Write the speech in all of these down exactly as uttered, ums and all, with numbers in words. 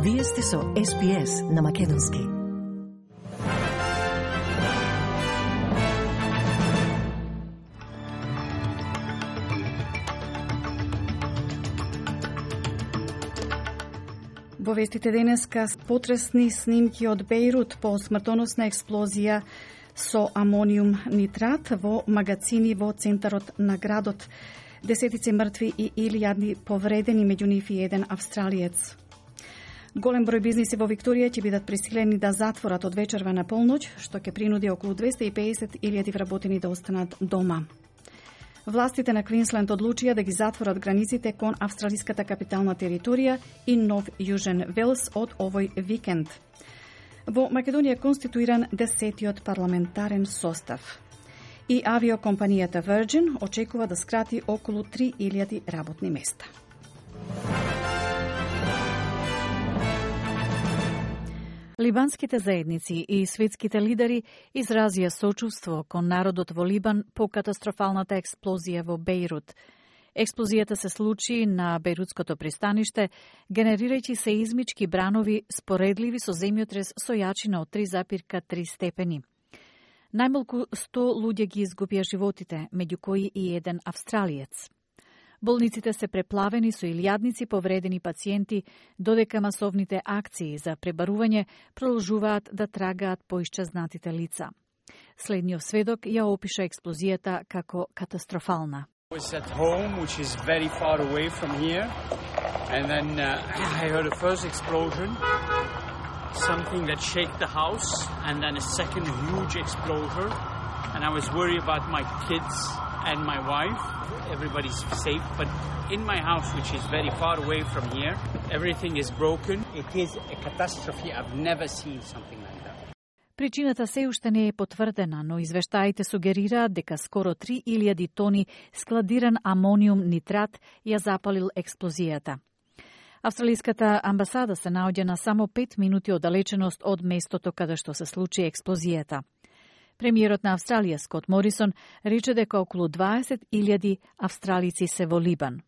Вие сте со Ес Би Ес на Македонски. Во вестите денеска потресни снимки од Бејрут по смртоносна експлозија со амониум нитрат во магазини во центарот на градот. Десетици мртви и илјадни повредени, меѓу нив и еден австралиец. Голем број бизниси во Викторија ќе бидат присилени да затворат од вечерва на полноќ, што ќе принуди околу двесте и педесет илјади вработени да останат дома. Властите на Квинсленд одлучија да ги затворат границите кон австралиската капитална територија и Нов Јужен Велс од овој викенд. Во Македонија конституиран десетиот парламентарен состав. И авиокомпанијата Virgin очекува да скрати околу три илјади работни места. Либанските заедници и светските лидери изразија сочувство кон народот во Либан по катастрофалната експлозија во Бејрут. Експлозијата се случи на Бејрутското пристаниште, генерирајќи сеизмички бранови споредливи со земјотрес со јачина од три зарез три степени. Најмалку сто луѓе ги изгубија животите, меѓу кои и еден австралиец. Болниците се преплавени со илјадници повредени пациенти, додека масовните акции за пребарување продолжуваат да трагаат по исчезнатите лица. Следниот сведок ја опиша експлозијата како катастрофална. I was at home, which is very far away from here, and then uh, I heard a first explosion, something that shook the house, and then a second huge explosion, and I was worried about my kids and my wife. Everybody's safe, but in my house, which is very far away from here, everything is broken. It is a catastrophe. I've never seen something like that. Причината се уште не е потврдена, но извештаите сугерираат дека скоро три илјади тони складиран амониум нитрат ја запалил експлозијата. Австралиската амбасада се наоѓа на само пет минути оддалеченост од местото каде што се случи експлозијата. Премиерот на Австралија, Скот Морисон, рече дека околу дваесет илјади австралици се во Либан.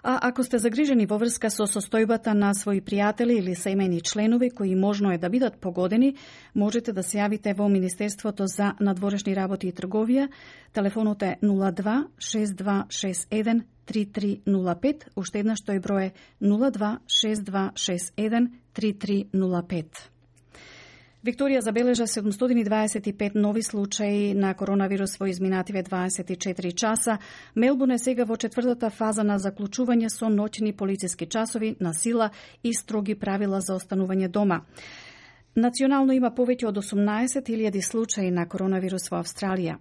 А ако сте загрижени во врска со состојбата на своји пријатели или семејни членови кои можно е да бидат погодени, можете да се јавите во Министерството за надворешни работи и трговија. Телефонот е нула два шест два шест еден три три нула пет, уште еднаш тој број е нула два шест два шест еден три три нула пет. Викторија забележа седумстотини и дваесет и пет нови случаи на коронавирус во изминативе дваесет и четири часа. Мелбурн е сега во четвртата фаза на заклучување со ноќни полициски часови на сила и строги правила за останување дома. Национално има повеќе од осумнаесет илјади случаи на коронавирус во Австралија.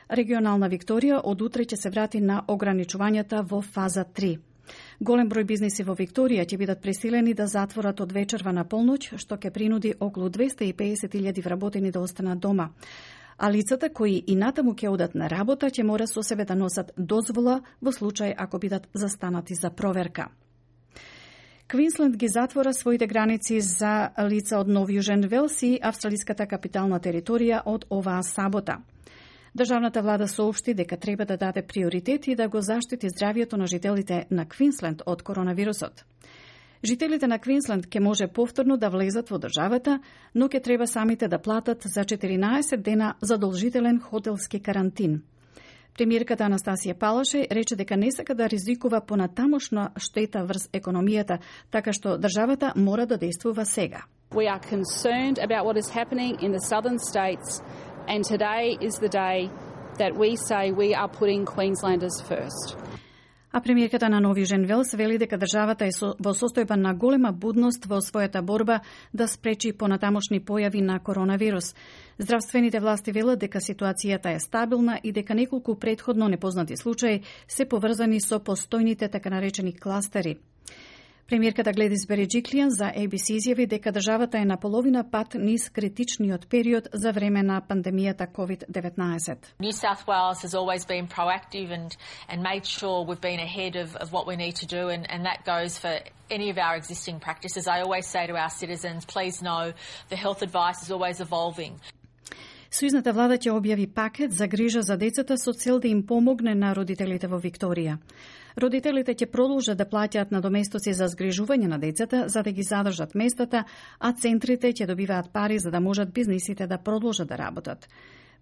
Регионална Викторија од утре ќе се врати на ограничувањата во фаза три. Голем број бизниси во Викторија ќе бидат присилени да затворат од вечерва на полноќ, што ќе принуди околу двесте и педесет илјади вработени да останат дома. А лицата кои и натаму ќе одат на работа ќе мора со себе да носат дозвола во случај ако бидат застанати за проверка. Квинсленд ги затвора своите граници за лица од Нов Јужен Велс и австралиската капитална територија од оваа сабота. Државната влада соопшти дека треба да даде приоритет и да го заштити здравјето на жителите на Квинсленд од коронавирусот. Жителите на Квинсленд ќе може повторно да влезат во државата, но ќе треба самите да платат за четиринаесет дена задолжителен хотелски карантин. Премиерката Анастасија Палашеј рече дека не сака да ризикува понатамошна штета врз економијата, така што државата мора да действува сега. We are concerned about what is happening in the southern states. And today is the day that we say we are putting Queenslanders first. А премиерката на Нов Јужен Велс вели дека државата е со, во состојба на голема будност во својата борба да спречи понатамошни појави на коронавирус. Здравствените власти велат дека ситуацијата е стабилна и дека неколку претходно непознати случаи се поврзани со постојните така наречени кластери. Премиерката Гледис Береджиклијан за Ей Би Си изјави дека државата е на половина пат низ критичниот период за време на пандемијата ковид деветнаесет. New South Wales has always been proactive and and made sure we've been ahead of of what we need to do, and and that goes for any of our existing practices. I always say to our citizens, please know the health advice is always evolving. Сојузната влада ќе објави пакет за грижа за децата со цел да им помогне на родителите во Викторија. Родителите ќе продолжат да плаќаат надоместоци за згрижување на децата за да ги задржат местата, а центрите ќе добиваат пари за да можат бизнисите да продолжат да работат.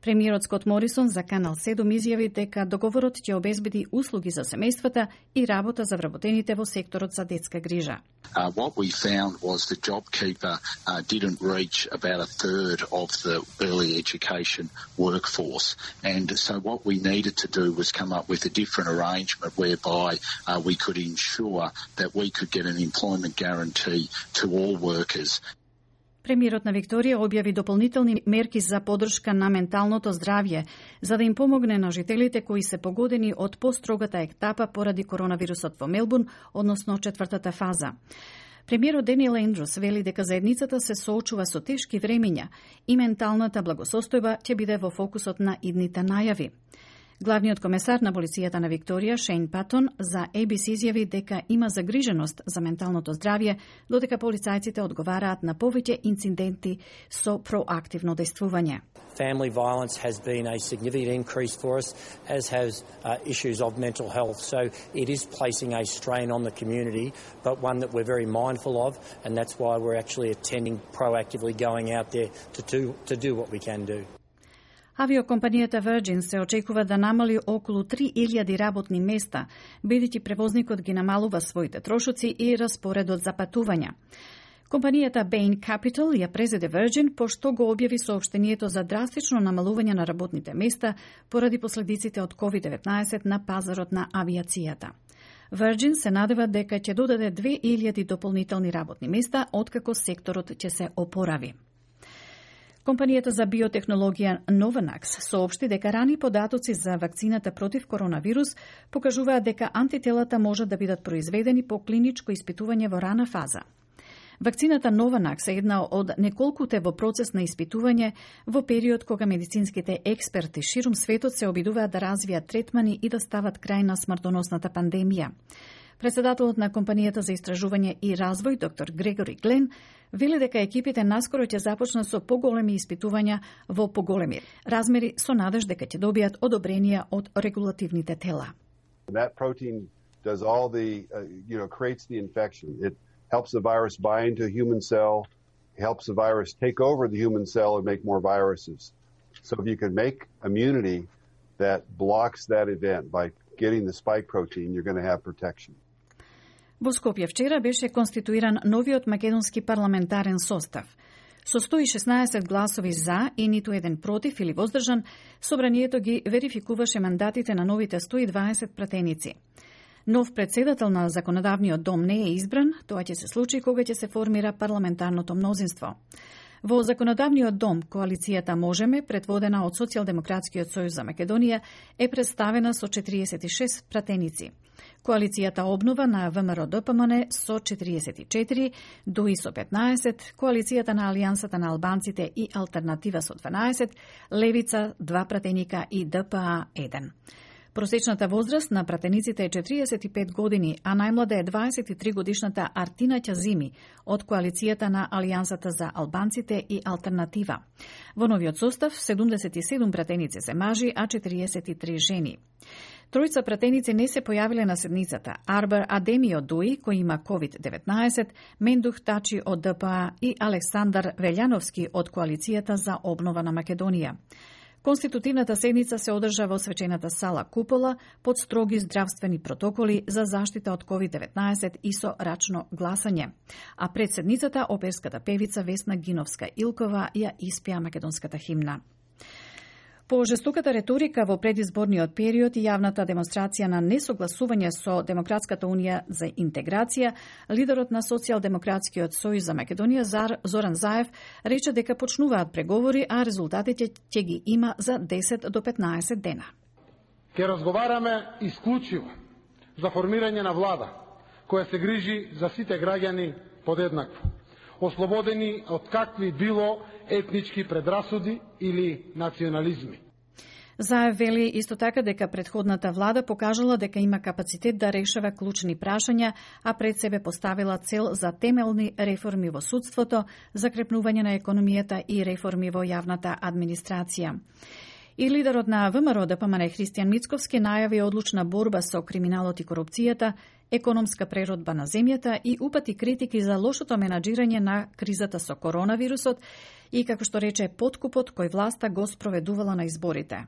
Премиерот Скот Морисон за Канал седум изјави дека договорот ќе обезбеди услуги за семејствата и работа за вработените во секторот за детска грижа. Uh, what we found was the JobKeeper uh, didn't reach about a third of the early education workforce. And so what we needed to do was come up with a different arrangement whereby uh, we could ensure that we could get an employment guarantee to all workers. Премиерот на Викторија објави дополнителни мерки за поддршка на менталното здравје, за да им помогне на жителите кои се погодени од построгата етапа поради коронавирусот во Мелбурн, односно четвртата фаза. Премиерот Даниел Ендрус вели дека заедницата се соочува со тешки времења и менталната благосостојба ќе биде во фокусот на идните најави. Главниот комесар на полицијата на Викторија, Шейн Патон, за Ей Би Си изјави дека има загриженост за менталното здравје, додека полицајците одговараат на повеќе инциденти со проактивно действување. Family violence has been a significant increase for us, as has uh, issues of mental health. So it is placing a strain on the community, but one that we're very mindful of, and that's why we're actually attending, proactively going out there to do, to do what we can do. Авиокомпанијата Virgin се очекува да намали околу три илјади работни места, бидејќи превозникот ги намалува своите трошоци и распоредот за патувања. Компанијата Bain Capital ја презеде Virgin пошто го објави соопштението за драстично намалување на работните места поради последиците од ковид деветнаесет на пазарот на авиацијата. Virgin се надева дека ќе додаде две илјади дополнителни работни места откако секторот ќе се опорави. Компанијата за биотехнологија Novavax соопшти дека рани податоци за вакцината против коронавирус покажуваат дека антителата можат да бидат произведени по клиничко испитување во рана фаза. Вакцината Novavax е една од неколкуте во процес на испитување во период кога медицинските експерти ширум светот се обидуваат да развијат третмани и да стават крај на смртоносната пандемија. Председателот на компанијата за истражување и развој, доктор Грегори Глен, вели дека екипите наскоро ќе започнат со поголеми испитувања во поголеми размери со надеж дека ќе добијат одобренија од регулативните тела. That protein does all the, uh, you know, creates the infection. It helps the virus bind to a human cell, helps the virus take over the human cell and make more viruses. So if you can make immunity that blocks that event by getting the spike protein, you're going to have protection. Во Скопје вчера беше конституиран новиот македонски парламентарен состав. Со сто и шеснаесет гласови за и ниту еден против или воздржан, собранието ги верификуваше мандатите на новите сто и дваесет пратеници. Нов председател на законодавниот дом не е избран, тоа ќе се случи кога ќе се формира парламентарното мнозинство. Во законодавниот дом, коалицијата Можеме, предводена од Социјалдемократскиот сојуз за Македонија, е представена со четириесет и шест пратеници. Коалицијата Обнова на ВМРО-ДПМН со четириесет и четири, ДУИ со петнаесет, коалицијата на Алијансата на албанците и Алтернатива со дванаесет, Левица два пратеника и ДПА еден. Просечната возраст на пратениците е четириесет и пет години, а најмлада е дваесет и три годишната Артина Ќазими од коалицијата на Алијансата за албанците и Алтернатива. Во новиот состав седумдесет и седум пратеници се мажи, а четириесет и три жени. Тројца пратеници не се појавиле на седницата. Арбер Адеми од ДУИ, кој има ковид деветнаесет, Мендух Тачи од ДПА и Александар Велјановски од коалицијата за обнова на Македонија. Конститутивната седница се одржа во свечената сала Купола под строги здравствени протоколи за заштита од ковид деветнаесет и со рачно гласање. А пред седницата оперската певица Весна Гиновска-Илкова ја испеа македонската химна. По жестоката реторика во предизборниот период и јавната демонстрација на несогласување со Демократската унија за интеграција, лидерот на Социјалдемократскиот сојуз за Македонија Зоран Заев рече дека почнуваат преговори, а резултатите ќе ги има за десет до петнаесет дена. Ке разговараме исклучиво за формирање на влада која се грижи за сите граѓани подеднакво, ослободени од какви било етнички предрасуди или национализми. Заев вели исто така дека претходната влада покажала дека има капацитет да решава клучни прашања, а пред себе поставила цел за темелни реформи во судството, закрепнување на економијата и реформи во јавната администрација. И лидерот на ВМРО Д П М Н Христијан Мицковски најави одлучна борба со криминалот и корупцијата, економска преродба на земјата и упати критики за лошото менаџирање на кризата со коронавирусот и, како што рече, подкупот кој власта го спроведувала на изборите.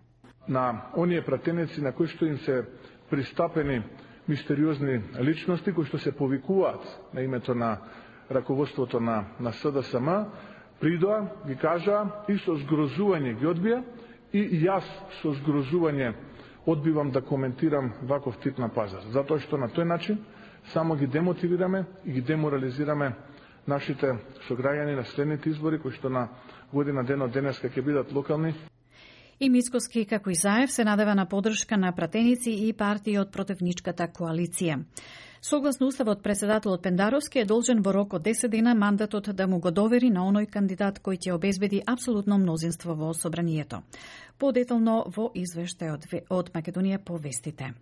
На оние пратеници на кои што им се пристапени мистериозни личности кои што се повикуваат на името на раководството на, на С Д С М, придоа, ги кажа и со згрозување ги одбија, и јас со згрозување одбивам да коментирам ваков тип на пазар. Затоа што на тој начин само ги демотивираме и ги деморализираме нашите сограѓани на следните избори, кои што на година ден од денеска ќе бидат локални. И Мицковски, како и Заев, се надева на поддршка на пратеници и партии од противничката коалиција. Согласно уставот, председателот Пендаровски е должен во рок од десет дена мандатот да му го довери на оној кандидат кој ќе обезбеди апсолутно мнозинство во собранието. Подетално во извештајот од Македонија по вестите.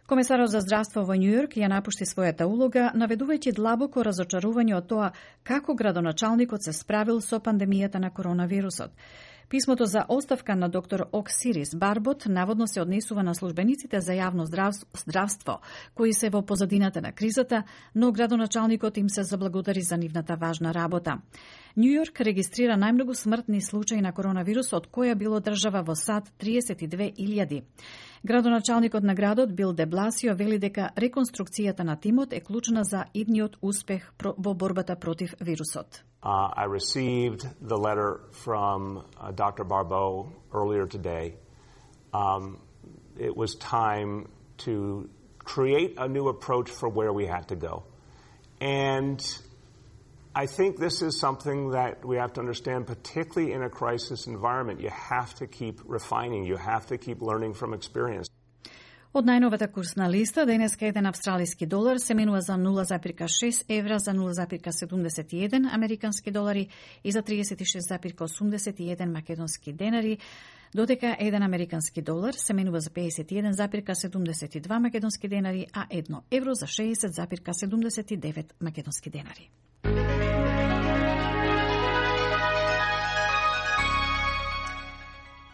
Комесарот за здравство во Њујорк ја напушти својата улога, наведувајќи длабоко разочарување од тоа како градоначалникот се справил со пандемијата на коронавирусот. Писмото за оставка на доктор Оксирис Барбот наводно се однесува на службениците за јавно здравство, кои се во позадината на кризата, но градоначалникот им се заблагодари за нивната важна работа. Њујорк регистрира најмногу смртни случаи на коронавирус од која било држава во САД триесет и две илјади. Градоначалникот на градот Бил де Бласио вели дека реконструкцијата на тимот е клучна за идниот успех во борбата против вирусот. Uh, I received the letter from uh, Doctor Barbeau earlier today. Um, it was time to create a new approach for where we had to go. And I think this is something that we have to understand, particularly in a crisis environment. You have to keep refining. You have to keep learning from experience. Од најновата курсна листа, денеска еден австралиски долар се менува за нула зарез шест евра, за нула зарез седумдесет и еден американски долари и за триесет и шест зарез осумдесет и еден македонски денари, додека еден американски долар се менува за педесет и еден зарез седумдесет и два македонски денари, а едно евро за шеесет зарез седумдесет и девет македонски денари.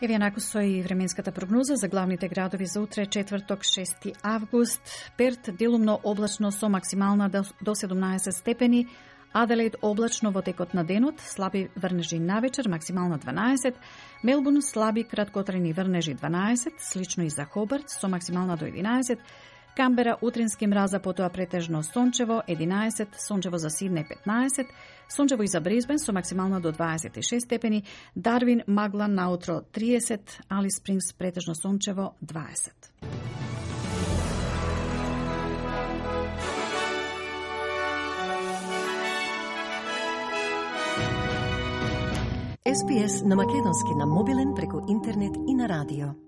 Еве накусо и временската прогноза за главните градови за утре, четврток, шести август. Перт делумно облачно со максимална до седумнаесет степени, Аделаид облачно во текот на денот, слаби врнежи навечер, максимална дванаесет, Мелбурн слаби краткотрени врнежи дванаесет, слично и за Хобарт со максимална до единаесет, Камбера утрински мраза, потоа претежно сончево единаесет, сончево за Сиднеј петнаесет, сончево и за Брисбен со максимална до дваесет и шест степени, Дарвин магла наутро триесет, Алис Спрингс претежно сончево дваесет. Ес Би Ес на македонски на мобилен преку интернет и на радио.